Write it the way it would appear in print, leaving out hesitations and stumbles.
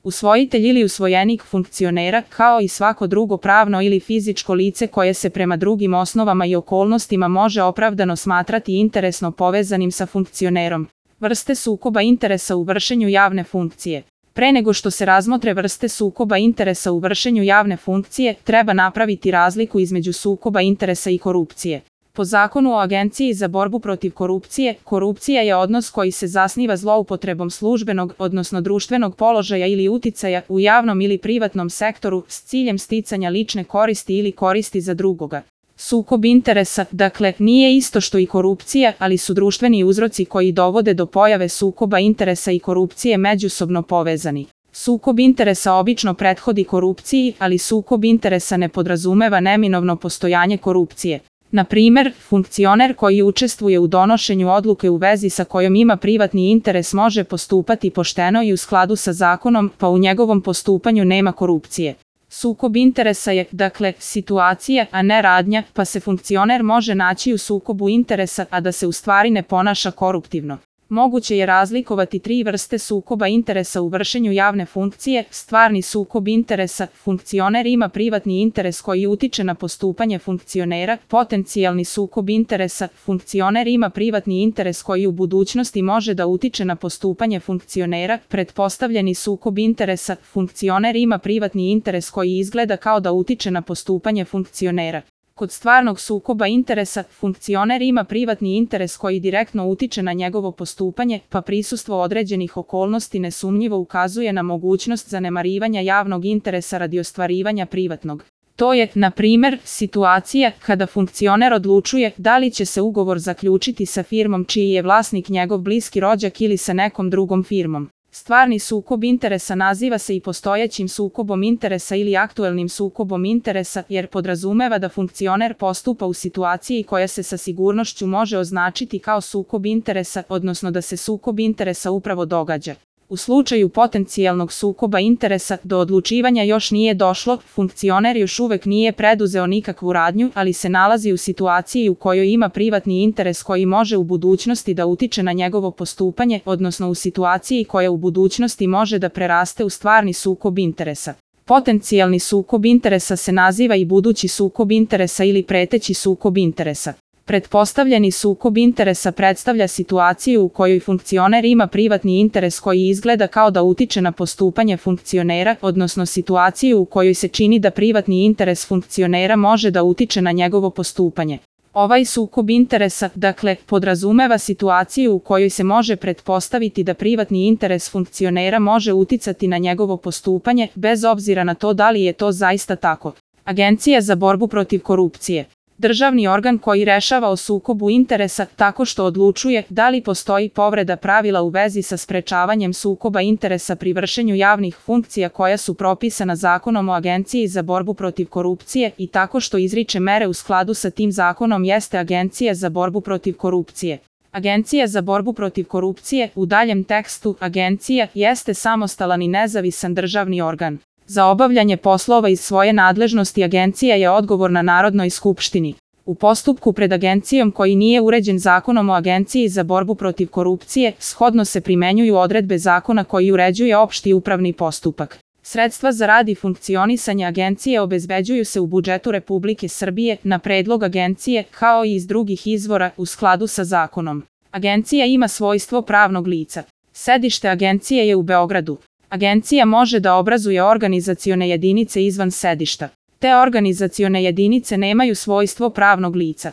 Usvojitelj ili usvojenik funkcionera, kao i svako drugo pravno ili fizičko lice koje se prema drugim osnovama i okolnostima može opravdano smatrati interesno povezanim sa funkcionerom. Vrste sukoba interesa u vršenju javne funkcije. Pre nego što se razmotre vrste sukoba interesa u vršenju javne funkcije, treba napraviti razliku između sukoba interesa i korupcije. Po Zakonu o Agenciji za borbu protiv korupcije, korupcija je odnos koji se zasniva zloupotrebom službenog, odnosno društvenog položaja ili uticaja u javnom ili privatnom sektoru s ciljem sticanja lične koristi ili koristi za drugoga. Sukob interesa, dakle, nije isto što i korupcija, ali su društveni uzroci koji dovode do pojave sukoba interesa i korupcije međusobno povezani. Sukob interesa obično prethodi korupciji, ali sukob interesa ne podrazumeva neminovno postojanje korupcije. Na primer, funkcioner koji učestvuje u donošenju odluke u vezi sa kojom ima privatni interes može postupati pošteno i u skladu sa zakonom, pa u njegovom postupanju nema korupcije. Sukob interesa je, dakle, situacija, a ne radnja, pa se funkcioner može naći u sukobu interesa, a da se u stvari ne ponaša koruptivno. Moguće je razlikovati tri vrste sukoba interesa u vršenju javne funkcije. Stvarni sukob interesa, funkcioner ima privatni interes koji utiče na postupanje funkcionera. Potencijalni sukob interesa, funkcioner ima privatni interes koji u budućnosti može da utiče na postupanje funkcionera. Pretpostavljeni sukob interesa, funkcioner ima privatni interes koji izgleda kao da utiče na postupanje funkcionera. Kod stvarnog sukoba interesa, funkcioner ima privatni interes koji direktno utiče na njegovo postupanje, pa prisustvo određenih okolnosti nesumnjivo ukazuje na mogućnost zanemarivanja javnog interesa radi ostvarivanja privatnog. To je, na primer, situacija kada funkcioner odlučuje da li će se ugovor zaključiti sa firmom čiji je vlasnik njegov bliski rođak ili sa nekom drugom firmom. Stvarni sukob interesa naziva se i postojećim sukobom interesa ili aktuelnim sukobom interesa jer podrazumeva da funkcioner postupa u situaciji koja se sa sigurnošću može označiti kao sukob interesa, odnosno da se sukob interesa upravo događa. U slučaju potencijalnog sukoba interesa do odlučivanja još nije došlo, funkcioner još uvek nije preduzeo nikakvu radnju, ali se nalazi u situaciji u kojoj ima privatni interes koji može u budućnosti da utiče na njegovo postupanje, odnosno u situaciji koja u budućnosti može da preraste u stvarni sukob interesa. Potencijalni sukob interesa se naziva i budući sukob interesa ili preteći sukob interesa. Pretpostavljeni sukob interesa predstavlja situaciju u kojoj funkcioner ima privatni interes koji izgleda kao da utiče na postupanje funkcionera, odnosno situaciju u kojoj se čini da privatni interes funkcionera može da utiče na njegovo postupanje. Ovaj sukob interesa, dakle, podrazumeva situaciju u kojoj se može pretpostaviti da privatni interes funkcionera može uticati na njegovo postupanje, bez obzira na to da li je to zaista tako. Agencija za borbu protiv korupcije. Državni organ koji rešava o sukobu interesa tako što odlučuje da li postoji povreda pravila u vezi sa sprečavanjem sukoba interesa pri vršenju javnih funkcija koja su propisana Zakonom o Agenciji za borbu protiv korupcije i tako što izriče mere u skladu sa tim zakonom jeste Agencija za borbu protiv korupcije. Agencija za borbu protiv korupcije, u daljem tekstu, agencija jeste samostalan i nezavisan državni organ. Za obavljanje poslova iz svoje nadležnosti agencija je odgovorna Narodnoj skupštini. U postupku pred agencijom koji nije uređen Zakonom o Agenciji za borbu protiv korupcije, shodno se primenjuju odredbe zakona koji uređuje opšti upravni postupak. Sredstva za rad i funkcionisanje agencije obezbeđuju se u budžetu Republike Srbije na predlog agencije kao i iz drugih izvora u skladu sa zakonom. Agencija ima svojstvo pravnog lica. Sedište agencije je u Beogradu. Agencija može da obrazuje organizacione jedinice izvan sedišta. Te organizacione jedinice nemaju svojstvo pravnog lica.